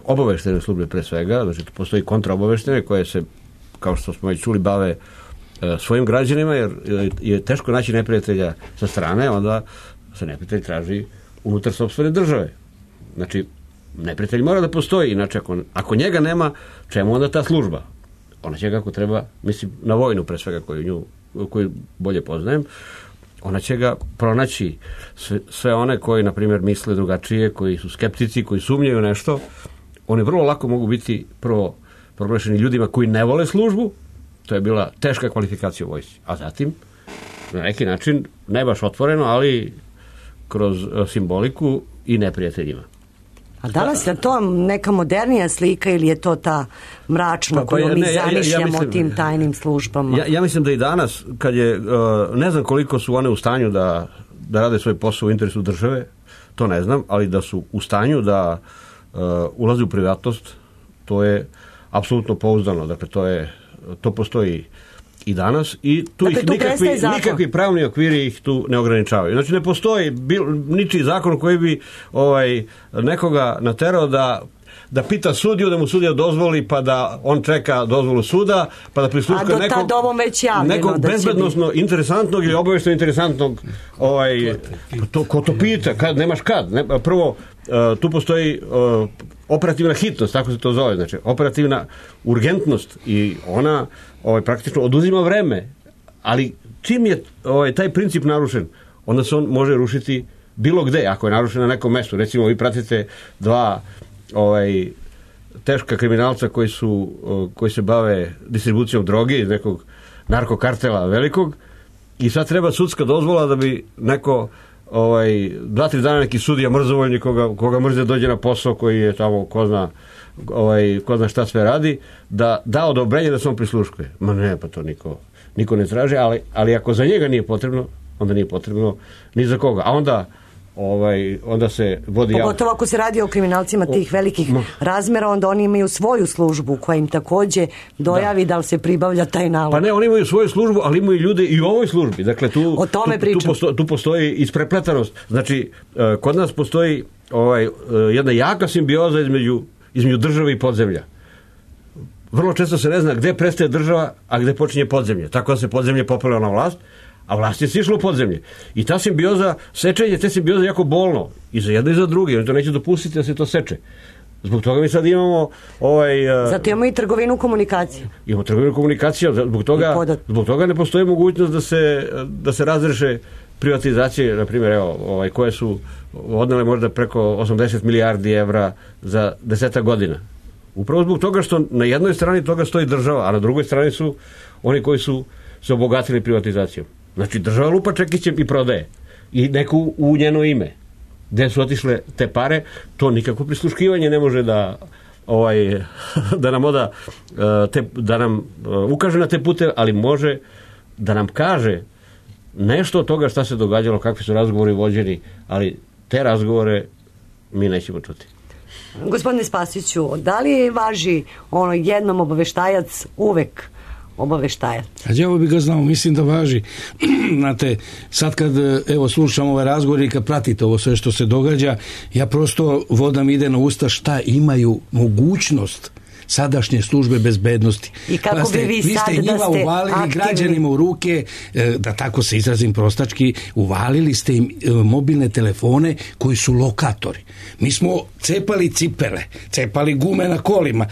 obaveštene službe pre svega, znači postoji kontraobaveštene koje se, kao što smo već čuli, bave svojim građanima, jer je teško naći neprijatelja sa strane, onda se neprijatelj traži unutar sopstvene države. Znači, neprijatelj mora da postoji, inače ako njega nema, čemu onda ta služba? Ona će kako treba, mislim, na vojnu pre svega koju bolje poznajem, ona će ga pronaći sve one koji, na primjer, misle drugačije, koji su skeptici, koji sumnjaju nešto, oni vrlo lako mogu biti prvo proglašeni ljudima koji ne vole službu. To je bila teška kvalifikacija u vojsci. A zatim, na neki način, ne baš otvoreno, ali kroz simboliku i neprijateljima. A danas je to neka modernija slika ili je to ta mračna koju mi zamišljamo o tim tajnim službama? Ja mislim da i danas, kad je, ne znam koliko su one u stanju da rade svoj posao u interesu države, to ne znam, ali da su u stanju da ulaze u privatnost, to je apsolutno pouzdano. Dakle, to postoji i danas i tu dakle, ih nikakvi pravni okviri ih tu ne ograničavaju. Znači ne postoji ničiji zakon koji bi nekoga naterao da pita sudiju, da mu sudija dozvoli, pa da on čeka dozvolu suda, pa da prisluškuje nekog bezbednosno interesantnog ili obavešteno interesantnog ko to pita, nemaš kad. Prvo, tu postoji operativna hitnost, tako se to zove, znači operativna urgentnost i ona praktično oduzima vreme, ali čim je taj princip narušen, onda se on može rušiti bilo gde, ako je narušen na nekom mestu. Recimo, vi pratite dva teška kriminalca koji se bave distribucijom droge iz nekog narkokartela velikog i sad treba sudska dozvola da bi neko 2-3 dana neki sudija mrzovoljni koga mrze dođe na posao koji je tamo ko zna šta sve radi, da odobrenje da se on prisluškuje. Ma ne, pa to niko ne traži, ali ako za njega nije potrebno, onda nije potrebno ni za koga. A onda se vodi... Pogotovo ako se radi o kriminalcima tih velikih razmera, onda oni imaju svoju službu koja im takođe dojavi da li se pribavlja taj nalog. Pa ne, oni imaju svoju službu, ali imaju ljude i u ovoj službi. Dakle, tu postoji isprepletanost. Znači, kod nas postoji jedna jaka simbioza između države i podzemlja. Vrlo često se ne zna gde prestaje država, a gde počinje podzemlje. Tako da se podzemlje popelo na vlast, a vlast je sišla u podzemlje. I ta simbioza, sečenje te simbioze je jako bolno. I za jedno i za druge. Oni to neće dopustiti da se to seče. Zbog toga mi sad imamo... Zato imamo i trgovinu komunikacije. Imamo trgovinu komunikacije. Zbog toga ne postoji mogućnost da se razreše privatizacije, na primjer, koje su odnele možda preko 80 milijardi evra za 10 godina. Upravo zbog toga što na jednoj strani toga stoji država, a na drugoj strani su oni koji su se obogatili privatizacijom. Znači, država lupa čekićem i prodaje. I neko u njeno ime. Gde su otišle te pare, to nikako prisluškivanje ne može da nam ukaže na te pute, ali može da nam kaže nešto od toga šta se događalo, kakvi su razgovori vođeni, ali te razgovore mi nećemo čuti. Gospodine Spasiću, da li važi jednom obaveštajac uvek obaveštajac? A ja bi ga znao, mislim da važi. Znate, sad kad slušam ove razgovore i kad pratite ovo sve što se događa, ja prosto vodam ide na usta šta imaju mogućnost sadašnje službe bezbednosti. I kako bi vi sad ste njima uvalili građanima u ruke, da tako se izrazim prostački, uvalili ste im mobilne telefone koji su lokatori. Mi smo cepali cipele, cepali gume na kolima.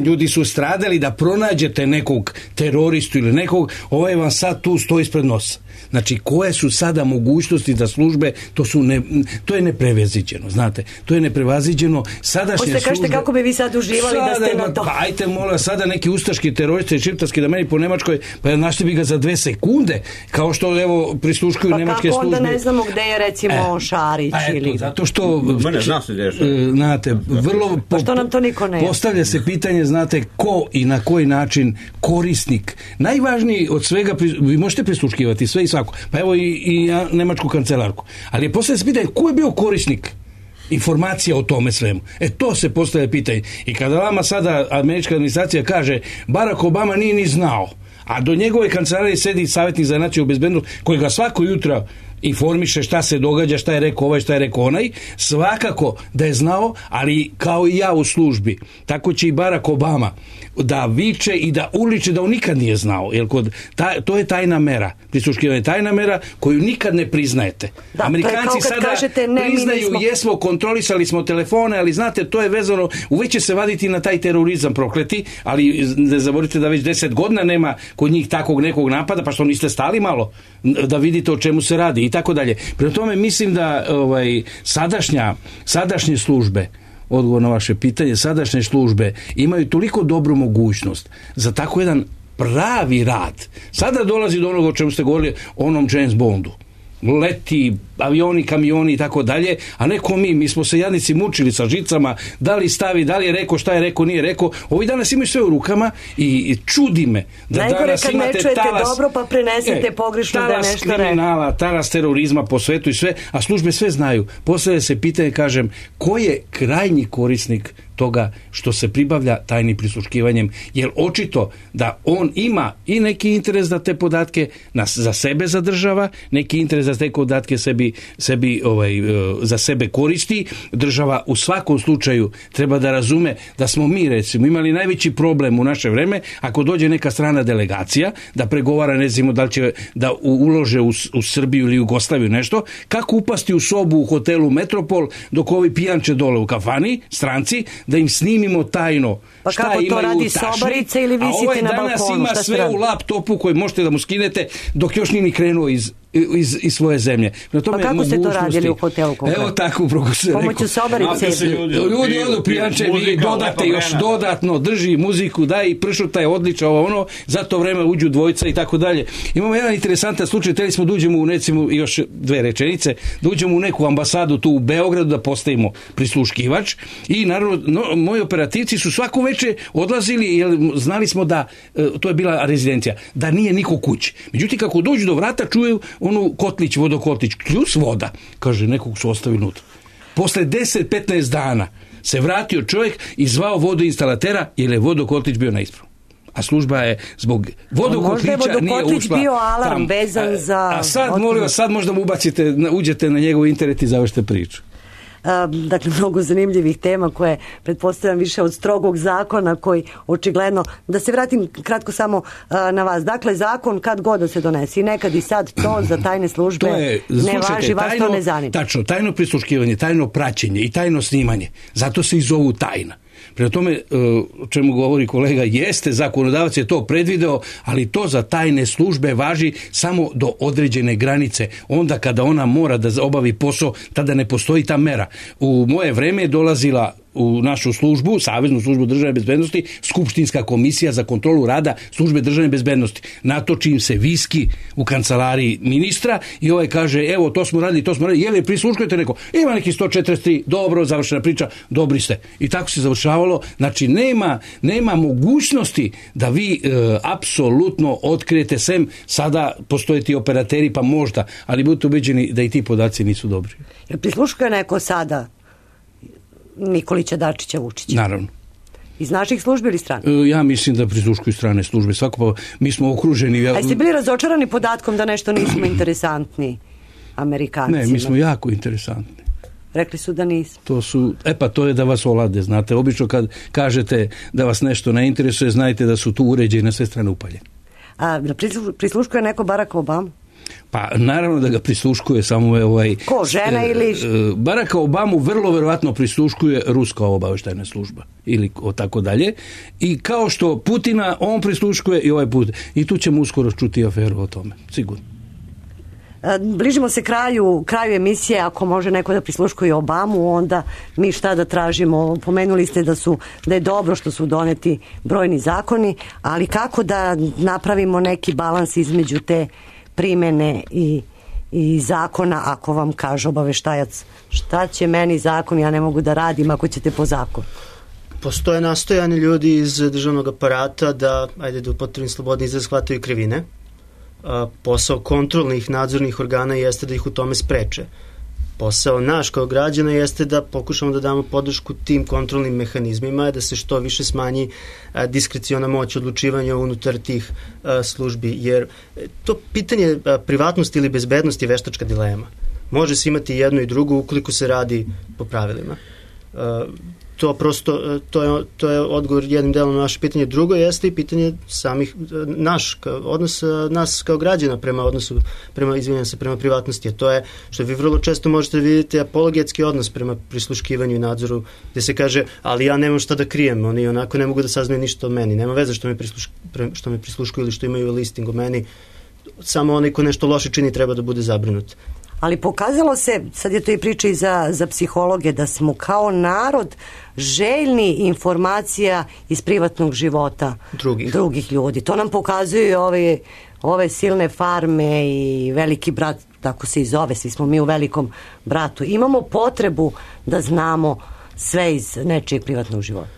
Ljudi su stradali da pronađete nekog teroristu ili nekog, ovaj vam sad tu stoji ispred nosa. Znači, koje su sada mogućnosti da službe, to je neprevaziđeno, znate, to je neprevaziđeno. Sadašnje službe... Kažete kako bi vi sad uživali da ste na to. Pa ajte mola sada neki ustaški teroristi šiptarski da meni po Nemačkoj, pa našli bi ga za 2 sekunde, kao što evo prisluškuju nemačke službe. Pa kako onda ne znamo gde je recimo Šarić ili... Zato što... Zna se gde je Šarić. Znate, vrlo... Pa što nam to niko ne... Postavlja se pitanje, znate, ko i na koji način korisnik. Najvažniji od svega, vi možete prisluškivati sve i svako, pa evo i nemačku kancelarku, ali je postavlja se pitanje ko je bio korisnik informacija o tome svemu. To se postavlja pitanje. I kada vama sada američka administracija kaže Barack Obama nije ni znao, a do njegove kancelarije sedi savjetnik za nacionalnu bezbednost koji ga svako jutro informiše šta se događa, šta je rekao ovaj, šta je rekao onaj, svakako da je znao, ali kao i ja u službi, tako će i Barack Obama da viče i da uliče da on nikad nije znao, jer to je tajna mera, prisluškivanje tajna mera koju nikad ne priznajete. Da, Amerikanci sada kažete, priznaju jesmo, kontrolisali smo telefone, ali znate, to je vezano, uveć će se vaditi na taj terorizam prokleti, ali ne zaboravite da već 10 godina nema kod njih takvog nekog napada, pa što niste stali malo da vidite o čemu se radi i tako dalje. Prema tome mislim da sadašnje službe, odgovor na vaše pitanje, sadašnje službe imaju toliko dobru mogućnost za tako jedan pravi rad. Sada dolazi do onoga o čemu ste govorili, onom James Bondu. Leti, avioni, kamioni i tako dalje, a neko mi smo se jadnici mučili sa žicama, da li stavi, da li je rekao, šta je rekao, nije rekao. Ovi danas imaju sve u rukama i čudi me da najgore danas kad imate ne čujete talas, dobro pa prenesete pogrešno da je nešto rekao. Talas kriminala, talas terorizma po svetu i sve, a službe sve znaju. Postavlja se pitanje, kažem, ko je krajnji korisnik toga što se pribavlja tajnim prisluškivanjem, jer očito da on ima i neki interes da te podatke za sebe zadržava, neki interes da te podatke sebi za sebe koristi. Država u svakom slučaju treba da razume da smo mi recimo imali najveći problem u naše vreme ako dođe neka strana delegacija da pregovara, ne znamo da li će da ulože u Srbiju ili Jugoslaviju nešto, kako upasti u sobu u hotelu Metropol dok ovi pijanče dole u kafani, stranci, da im snimimo tajno pa šta kako imaju to radi u tašni, sobarice ili visiti na balkonu? A ovaj danas ima sve u laptopu koji možete da mu skinete dok još nije ni krenuo iz svoje zemlje. Pa kako ste to radili u hotelu? Evo tako, upravo se rekao. Pomoću sobarice. Ljudi odu pijanče, vi dodate još dodatno, drži muziku, daj i pršuta je odlična, ono, za to vreme uđu dvojica i tako dalje. Imamo jedan interesantan slučaj, teli smo da uđemo u recimo još 2 rečenice, da uđemo u neku ambasadu tu u Beogradu da postavimo prisluškivač i naravno moji operativci su svako veče odlazili jer znali smo da to je bila rezidencija, da nije niko kući. Međutim, kako dođu do vrata čuju onu kotlić, vodokotlić, kljus voda, kaže, nekog su ostavili unutra. Posle 10-15 dana se vratio čovjek i zvao vodoinstalatera jer je vodokotlić bio na ispravu. A služba je zbog vodokotlića nije ušla. Bio alarm vezan za... A sad, molim vas, sad možda mu ubacite, uđete na njegov internet i završite priču. Dakle, mnogo zanimljivih tema koje pretpostavljam više od strogog zakona koji očigledno, da se vratim kratko samo na vas, dakle zakon kad god da se donesi, nekad i sad to za tajne službe ne važi, vas to ne zanima. Tačno, tajno prisluškivanje, tajno praćenje i tajno snimanje, zato se i zovu tajna. Prema tome, o čemu govori kolega, jeste, zakonodavac je to predvideo, ali to za tajne službe važi samo do određene granice. Onda kada ona mora da obavi posao, tada ne postoji ta mera. U moje vreme je dolazila u našu službu, Saveznu službu državne bezbednosti, skupštinska komisija za kontrolu rada službe državne bezbednosti. Natoči im se viski u kancelariji ministra i ovaj kaže, evo, to smo radili, je li prisluškujete neko? Ima neki 143, dobro, završena priča, dobri ste. I tako se završavalo. Znači, nema mogućnosti da vi apsolutno otkrijete, sem sada postoje ti operateri, pa možda, ali budete ubeđeni da i ti podaci nisu dobri. Jer prisluškuje neko sada Nikolića, Dačića, Vučića? Naravno. Iz naših službi ili strane? Ja mislim da prisluškuju strane službe. Svako, mi smo okruženi... A jeste bili razočarani podatkom da nešto nismo interesantni Amerikancima? Ne, mi smo jako interesantni. Rekli su da nismo. To je da vas olade, znate. Obično kad kažete da vas nešto ne interesuje, znajte da su tu uređaji na sve strane upaljeni. A prisluškuje neko Barack Obama? Pa naravno da ga prisluškuje samo Ko, žena ili... Baracka Obamu vrlo verovatno prisluškuje ruska obaveštajna služba ili tako dalje. I kao što Putina on prisluškuje i ovaj put. I tu ćemo uskoro čuti aferu o tome, sigurno. bližimo se kraju emisije. Ako može neko da prisluškuje Obamu, onda mi šta da tražimo? Pomenuli ste da je dobro što su doneti brojni zakoni, ali kako da napravimo neki balans između te primene i zakona, ako vam kaže obaveštajac šta će meni zakon, ja ne mogu da radim ako ćete po zakonu? Postoje nastojane ljudi iz državnog aparata da upotrebim slobodni izraz, shvataju krivine. Posao kontrolnih nadzornih organa jeste da ih u tome spreče. Posao naš kao građana jeste da pokušamo da damo podršku tim kontrolnim mehanizmima, da se što više smanji diskreciona moć odlučivanja unutar tih službi, jer to pitanje privatnosti ili bezbednosti je veštačka dilema. Može se imati jedno i drugo ukoliko se radi po pravilima. To prosto, to je odgovor jednim delom na naše pitanje. Drugo jeste i pitanje samih odnos nas kao građana prema privatnosti, a to je što vi vrlo često možete vidjeti apologetski odnos prema prisluškivanju i nadzoru, gde se kaže, ali ja nemam šta da krijem, oni onako ne mogu da saznaju ništa o meni, nema veze što me prisluškuju ili što imaju listing o meni, samo onaj ko nešto loše čini treba da bude zabrinut. Ali pokazalo se, sad je to i priča i za psihologe, da smo kao narod željni informacija iz privatnog života drugih ljudi. To nam pokazuju ove silne farme i Veliki brat, tako se i zove, svi smo mi u Velikom bratu. Imamo potrebu da znamo sve iz nečijeg privatnog života.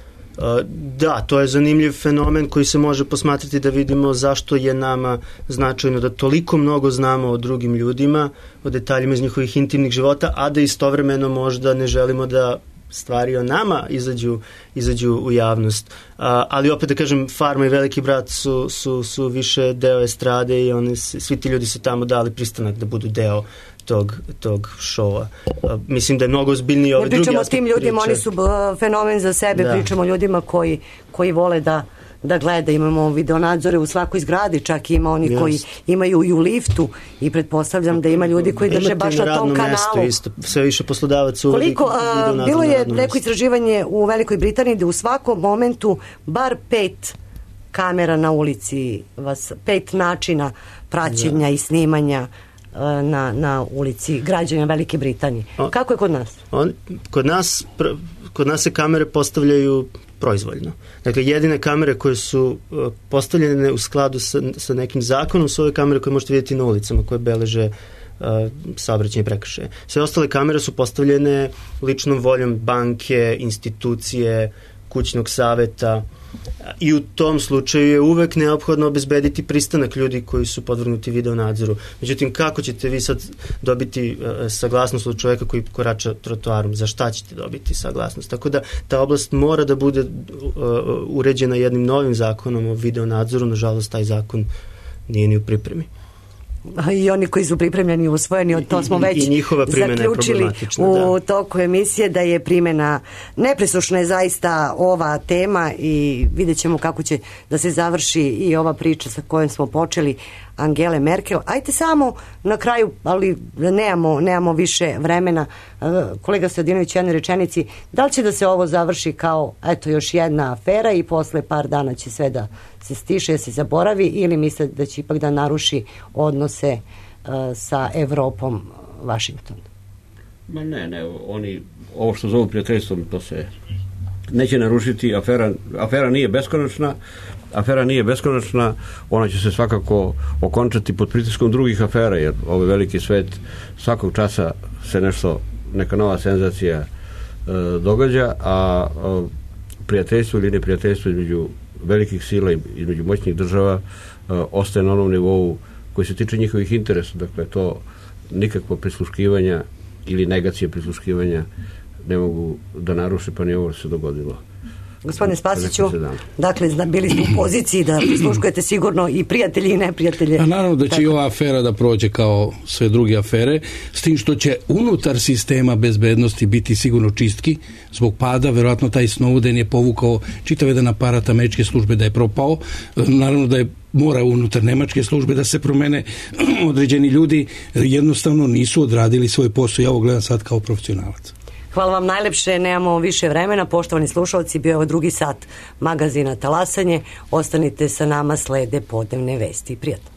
Da, to je zanimljiv fenomen koji se može posmatrati da vidimo zašto je nama značajno da toliko mnogo znamo o drugim ljudima, o detaljima iz njihovih intimnih života, a da istovremeno možda ne želimo da stvari o nama izađu u javnost. Ali opet da kažem, Farma i Veliki brat su više deo estrade i svi ti ljudi su tamo dali pristanak da budu deo tog šova. Mislim da je mnogo ozbiljniji ovaj drugi aspekt priče. Ne pričamo o tim ljudima, oni su fenomen za sebe, pričamo o ljudima koji vole da gleda, imamo videonadzore u svakoj zgradi, čak ima oni koji imaju i u liftu i pretpostavljam da ima ljudi koji drže baš na tom kanalu. Isto, sve više poslodavaca uvodi videonadzor. Bilo je neko istraživanje u Velikoj Britaniji da u svakom momentu bar 5 kamera na ulici, 5 načina praćenja i snimanja na ulici građana Velike Britanije. Kako je kod nas? Kod nas se kamere postavljaju proizvoljno. Dakle, jedine kamere koje su postavljene u skladu sa nekim zakonom su ove kamere koje možete vidjeti na ulicama, koje beleže saobraćajne prekršaje. Sve ostale kamere su postavljene ličnom voljom banke, institucije, kućnog saveta i u tom slučaju je uvek neophodno obezbediti pristanak ljudi koji su podvrgnuti video nadzoru. Međutim, kako ćete vi sad dobiti saglasnost od čoveka koji korača trotoarom? Za šta ćete dobiti saglasnost? Tako da ta oblast mora da bude uređena jednim novim zakonom o video nadzoru. Nažalost, taj zakon nije ni u pripremi. I oni koji su pripremljeni i usvojeni, to smo već zaključili u toku emisije da je primjena nepresušna je zaista ova tema i vidjet ćemo kako će da se završi i ova priča sa kojom smo počeli Angele Merkel. Ajde samo na kraju, ali nemamo više vremena, kolega Stojadinović, jednoj rečenici, da li će da se ovo završi kao još jedna afera i posle par dana će sve da se stiše, da se zaboravi, ili misle da će ipak da naruši odnose sa Evropom, Vašington? Ma ne, oni ovo što zovu prijateljstvom, to se neće narušiti. Afera nije beskonačna, ona će se svakako okončati pod pritiskom drugih afera, jer ovaj veliki svet svakog časa se neka nova senzacija događa, a prijateljstvo ili neprijateljstvo između velikih sila i između moćnih država ostaje na onom nivou koji se tiče njihovih interesa. Dakle, to nikakvo prisluškivanja ili negacije prisluškivanja ne mogu da naruše, pa ni ovo se dogodilo. Gospodine Spasiću, dakle, bili ste u poziciji da prisluškujete sigurno i prijatelji i neprijatelje. A naravno da će i ova afera da prođe kao sve druge afere, s tim što će unutar sistema bezbednosti biti sigurno čistki zbog pada. Verovatno taj Snowden je povukao čitav jedan aparat američke službe da je propao. Naravno da je mora unutar nemačke službe da se promene određeni ljudi, jednostavno nisu odradili svoj posao. Ja ovo gledam sad kao profesionalac. Hvala vam najlepše, nemamo više vremena. Poštovani slušalci, bio je ovo drugi sat magazina Talasanje. Ostanite sa nama, slede podnevne vesti. Prijatno.